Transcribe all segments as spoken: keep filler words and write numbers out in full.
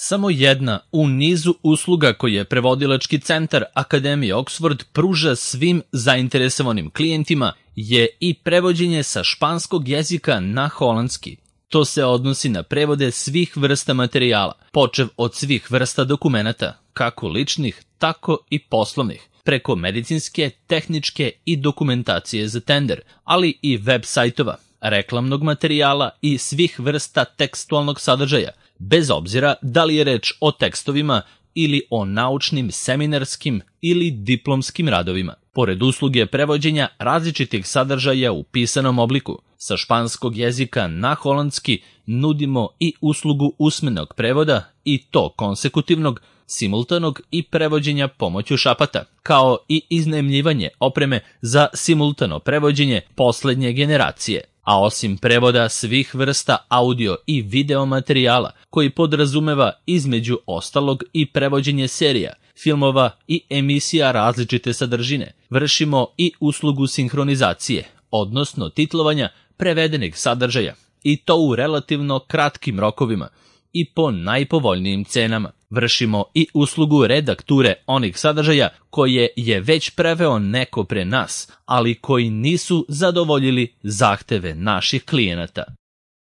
Samo jedna u nizu usluga koje Prevodilački centar Akademije Oxford pruža svim zainteresovanim klijentima je i prevođenje sa španskog jezika na holandski. To se odnosi na prevode svih vrsta materijala, počev od svih vrsta dokumenata, kako ličnih, tako i poslovnih, preko medicinske, tehničke i dokumentacije za tender, ali i web sajtova, reklamnog materijala i svih vrsta tekstualnog sadržaja, bez obzira da li je reč o tekstovima ili o naučnim, seminarskim ili diplomskim radovima. Pored usluge prevođenja različitih sadržaja u pisanom obliku, sa španskog jezika na holandski nudimo i uslugu usmenog prevoda i to konsekutivnog, simultanog i prevođenja pomoću šapata, kao i iznajmljivanje opreme za simultano prevođenje poslednje generacije. A osim prevoda svih vrsta audio i video materijala, koji podrazumeva između ostalog i prevođenje serija, filmova i emisija različite sadržine, vršimo i uslugu sinhronizacije, odnosno titlovanja prevedenih sadržaja, i to u relativno kratkim rokovima i po najpovoljnijim cenama. Vršimo i uslugu redakture onih sadržaja koje je već preveo neko pre nas, ali koji nisu zadovoljili zahteve naših klijenata.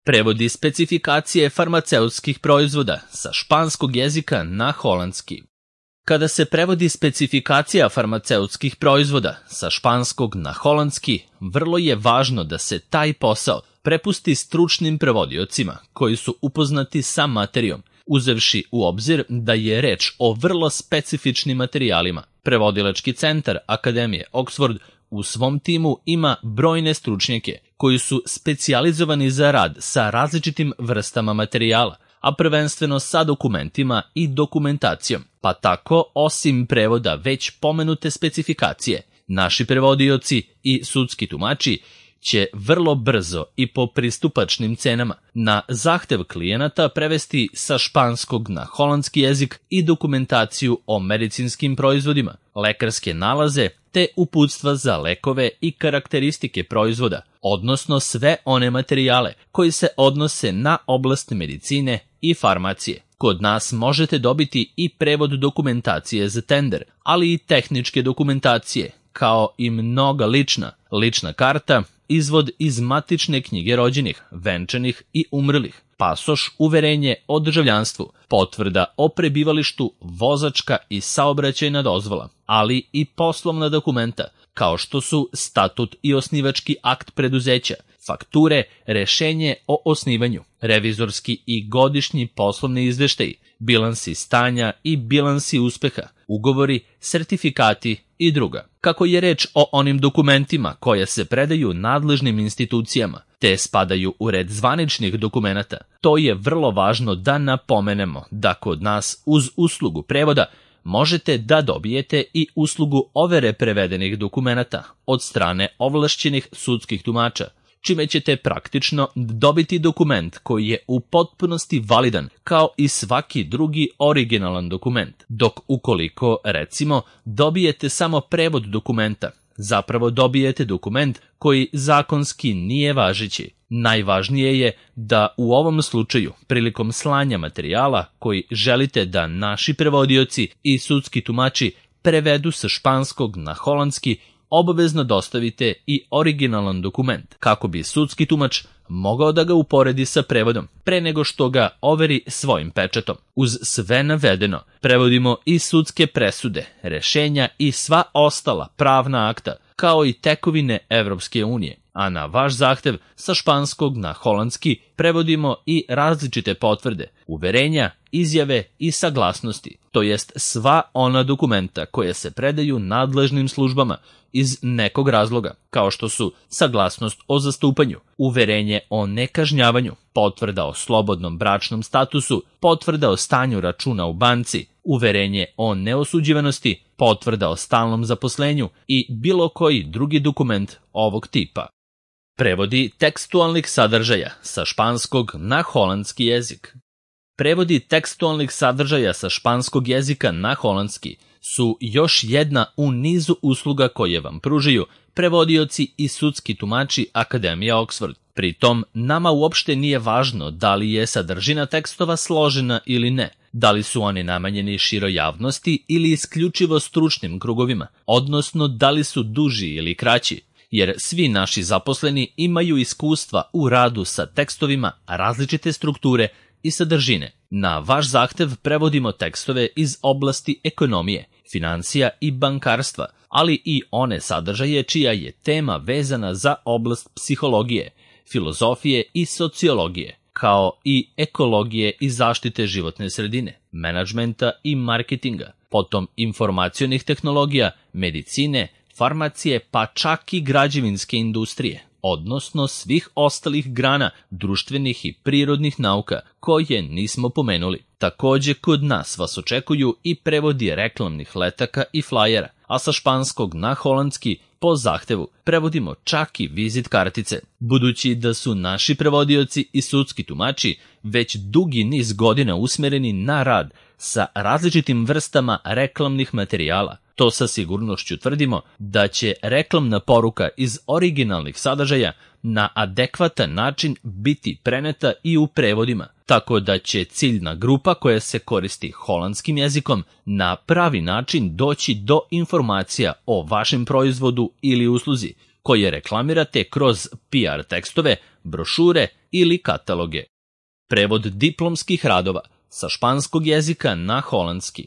Prevodi specifikacije farmaceutskih proizvoda sa španskog jezika na holandski. Kada se prevodi specifikacija farmaceutskih proizvoda sa španskog na holandski, vrlo je važno da se taj posao prepusti stručnim prevodiocima koji su upoznati sa materijom, uzevši u obzir da je reč o vrlo specifičnim materijalima. Prevodilački centar Akademije Oxford u svom timu ima brojne stručnjake koji su specijalizovani za rad sa različitim vrstama materijala, a prvenstveno sa dokumentima i dokumentacijom, pa tako, osim prevoda već pomenute specifikacije, naši prevodioci i sudski tumači će vrlo brzo i po pristupačnim cenama na zahtev klijenata prevesti sa španskog na holandski jezik i dokumentaciju o medicinskim proizvodima, lekarske nalaze te uputstva za lekove i karakteristike proizvoda, odnosno sve one materijale koji se odnose na oblast medicine i farmacije. Kod nas možete dobiti i prevod dokumentacije za tender, ali i tehničke dokumentacije, kao i mnoga lična, lična karta, izvod iz matične knjige rođenih, venčanih i umrlih, pasoš, uverenje o državljanstvu, potvrda o prebivalištu, vozačka i saobraćajna dozvola, ali i poslovna dokumenta, kao što su statut i osnivački akt preduzeća, fakture, rešenje o osnivanju, revizorski i godišnji poslovni izveštaji, bilansi stanja i bilansi uspeha, ugovori, sertifikati i druga. Kako je reč o onim dokumentima koja se predaju nadležnim institucijama, te spadaju u red zvaničnih dokumenata, to je vrlo važno da napomenemo da kod nas uz uslugu prevoda možete da dobijete i uslugu overe prevedenih dokumenata od strane ovlašćenih sudskih tumača, čime ćete praktično dobiti dokument koji je u potpunosti validan kao i svaki drugi originalan dokument, dok ukoliko, recimo, dobijete samo prevod dokumenta, zapravo dobijete dokument koji zakonski nije važeći. Najvažnije je da u ovom slučaju, prilikom slanja materijala koji želite da naši prevodioci i sudski tumači prevedu sa španskog na holandski, obavezno dostavite i originalan dokument, kako bi sudski tumač mogao da ga uporedi sa prevodom, pre nego što ga overi svojim pečatom. Uz sve navedeno, prevodimo i sudske presude, rešenja i sva ostala pravna akta, kao i tekovine Evropske unije, a na vaš zahtev sa španskog na holandski prevodimo i različite potvrde, uverenja, izjave i saglasnosti, to jest sva ona dokumenta koja se predaju nadležnim službama iz nekog razloga, kao što su saglasnost o zastupanju, uverenje o nekažnjavanju, potvrda o slobodnom bračnom statusu, potvrda o stanju računa u banci, uverenje o neosuđivanosti, potvrda o stalnom zaposlenju i bilo koji drugi dokument ovog tipa. Prevodi tekstualnih sadržaja sa španskog na holandski jezik. Prevodi tekstualnih sadržaja sa španskog jezika na holandski su još jedna u nizu usluga koje vam pružaju prevodioci i sudski tumači Akademije Oxford. Pritom, nama uopšte nije važno da li je sadržina tekstova složena ili ne, Da li su oni namenjeni široj javnosti ili isključivo stručnim krugovima, odnosno da li su duži ili kraći, jer svi naši zaposleni imaju iskustva u radu sa tekstovima različite strukture i sadržine. Na vaš zahtev prevodimo tekstove iz oblasti ekonomije, financija i bankarstva, ali i one sadržaje čija je tema vezana za oblast psihologije, filozofije i sociologije, kao i ekologije i zaštite životne sredine, menadžmenta i marketinga, potom informacionih tehnologija, medicine, farmacije, pa čak i građevinske industrije, odnosno svih ostalih grana društvenih i prirodnih nauka koje nismo pomenuli. Takođe, kod nas vas očekuju i prevodi reklamnih letaka i flajera, a sa španskog na holandski po zahtevu prevodimo čak i vizit kartice. Budući da su naši prevodioci i sudski tumači već dugi niz godina usmereni na rad sa različitim vrstama reklamnih materijala, to sa sigurnošću tvrdimo da će reklamna poruka iz originalnih sadržaja na adekvatan način biti preneta i u prevodima, tako da će ciljna grupa koja se koristi holandskim jezikom na pravi način doći do informacija o vašem proizvodu ili usluzi, koje reklamirate kroz P R tekstove, brošure ili kataloge. Prevod diplomskih radova sa španskog jezika na holandski.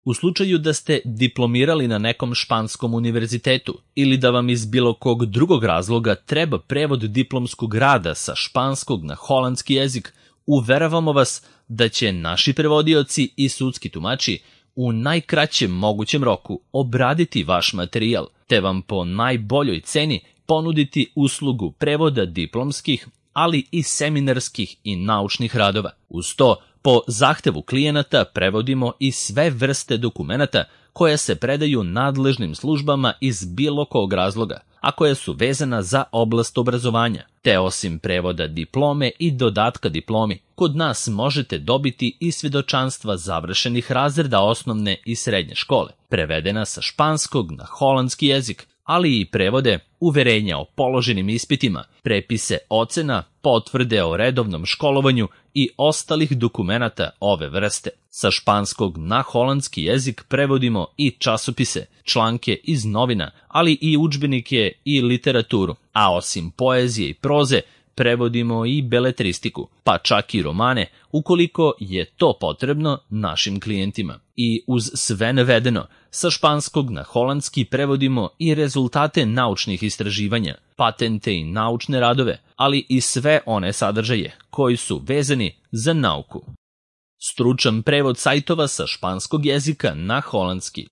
U slučaju da ste diplomirali na nekom španskom univerzitetu ili da vam iz bilo kog drugog razloga treba prevod diplomskog rada sa španskog na holandski jezik, uveravamo vas da će naši prevodioci i sudski tumači u najkraćem mogućem roku obraditi vaš materijal, te vam po najboljoj ceni ponuditi uslugu prevoda diplomskih, ali i seminarskih i naučnih radova. Uz to, po zahtevu klijenata prevodimo i sve vrste dokumenata koja se predaju nadležnim službama iz bilo kog razloga, a koja su vezana za oblast obrazovanja, te osim prevoda diplome i dodatka diplomi, kod nas možete dobiti i svjedočanstva završenih razreda osnovne i srednje škole, prevedena sa španskog na holandski jezik, ali i prevode, uverenja o položenim ispitima, prepise ocena, potvrde o redovnom školovanju i ostalih dokumenata ove vrste. Sa španskog na holandski jezik prevodimo i časopise, članke iz novina, ali i udžbenike i literaturu, a osim poezije i proze, prevodimo i beletristiku, pa čak i romane, ukoliko je to potrebno našim klijentima. I uz sve navedeno, sa španskog na holandski prevodimo i rezultate naučnih istraživanja, patente i naučne radove, ali i sve one sadržaje koji su vezani za nauku. Stručan prevod sajtova sa španskog jezika na holandski.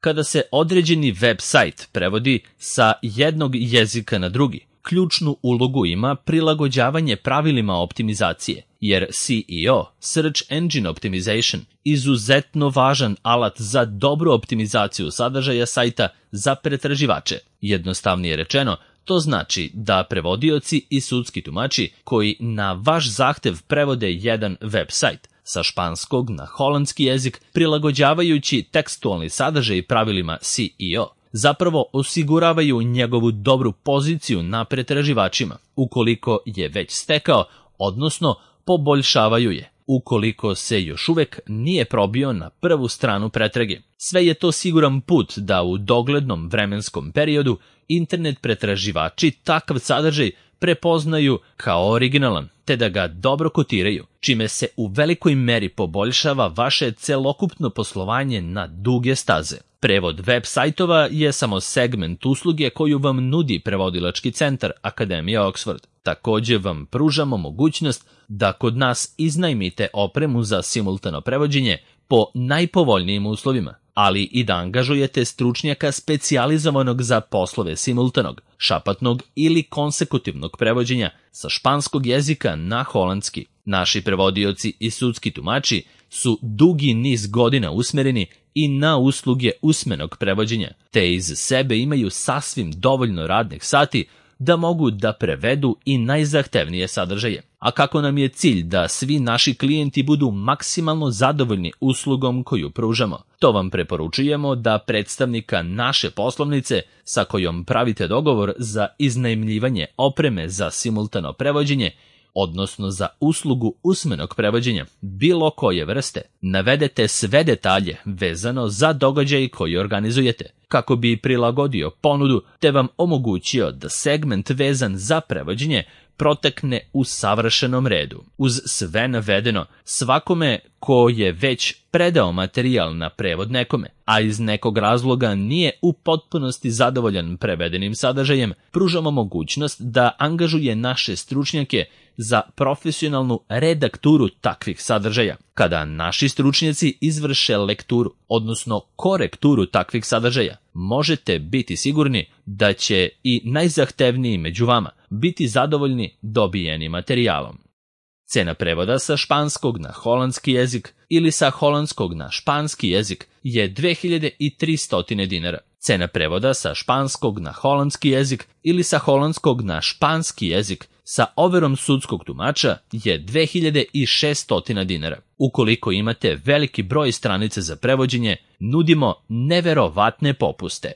Kada se određeni web sajt prevodi sa jednog jezika na drugi, ključnu ulogu ima prilagođavanje pravilima optimizacije, jer S E O, Search Engine Optimization, izuzetno važan alat za dobru optimizaciju sadržaja sajta za pretraživače. Jednostavnije rečeno, to znači da prevodioci i sudski tumači koji na vaš zahtev prevode jedan web sajt sa španskog na holandski jezik, prilagođavajući tekstualni sadržaj pravilima S E O, zapravo osiguravaju njegovu dobru poziciju na pretraživačima, ukoliko je već stekao, odnosno poboljšavaju je, ukoliko se još uvek nije probio na prvu stranu pretrage. Sve je to siguran put da u doglednom vremenskom periodu internet pretraživači takav sadržaj prepoznaju kao originalan, te da ga dobro kotiraju, čime se u velikoj meri poboljšava vaše celokupno poslovanje na duge staze. Prevod web sajtova je samo segment usluge koju vam nudi prevodilački centar Akademija Oxford. Takođe vam pružamo mogućnost da kod nas iznajmite opremu za simultano prevođenje po najpovoljnijim uslovima, ali i da angažujete stručnjaka specijalizovanog za poslove simultanog, šapatnog ili konsekutivnog prevođenja sa španskog jezika na holandski. Naši prevodioci i sudski tumači su dugi niz godina usmereni i na usluge usmenog prevođenja, te iz sebe imaju sasvim dovoljno radnih sati da mogu da prevedu i najzahtevnije sadržaje. A kako nam je cilj da svi naši klijenti budu maksimalno zadovoljni uslugom koju pružamo, to vam preporučujemo da predstavnika naše poslovnice sa kojom pravite dogovor za iznajmljivanje opreme za simultano prevođenje odnosno za uslugu usmenog prevođenja bilo koje vrste, navedete sve detalje vezano za događaj koji organizujete, kako bi prilagodio ponudu te vam omogućio da segment vezan za prevođenje protekne u savršenom redu. Uz sve navedeno, svakome ko je već predao materijal na prevod nekome, a iz nekog razloga nije u potpunosti zadovoljan prevedenim sadržajem, pružamo mogućnost da angažuje naše stručnjake za profesionalnu redakturu takvih sadržaja. Kada naši stručnjaci izvrše lekturu, odnosno korekturu takvih sadržaja, možete biti sigurni da će i najzahtevniji među vama biti zadovoljni dobijenim materijalom. Cena prevoda sa španskog na holandski jezik ili sa holandskog na španski jezik je dve hiljade tristo dinara. Cena prevoda sa španskog na holandski jezik ili sa holandskog na španski jezik sa overom sudskog tumača je dve hiljade šesto dinara. Ukoliko imate veliki broj stranica za prevođenje, nudimo neverovatne popuste.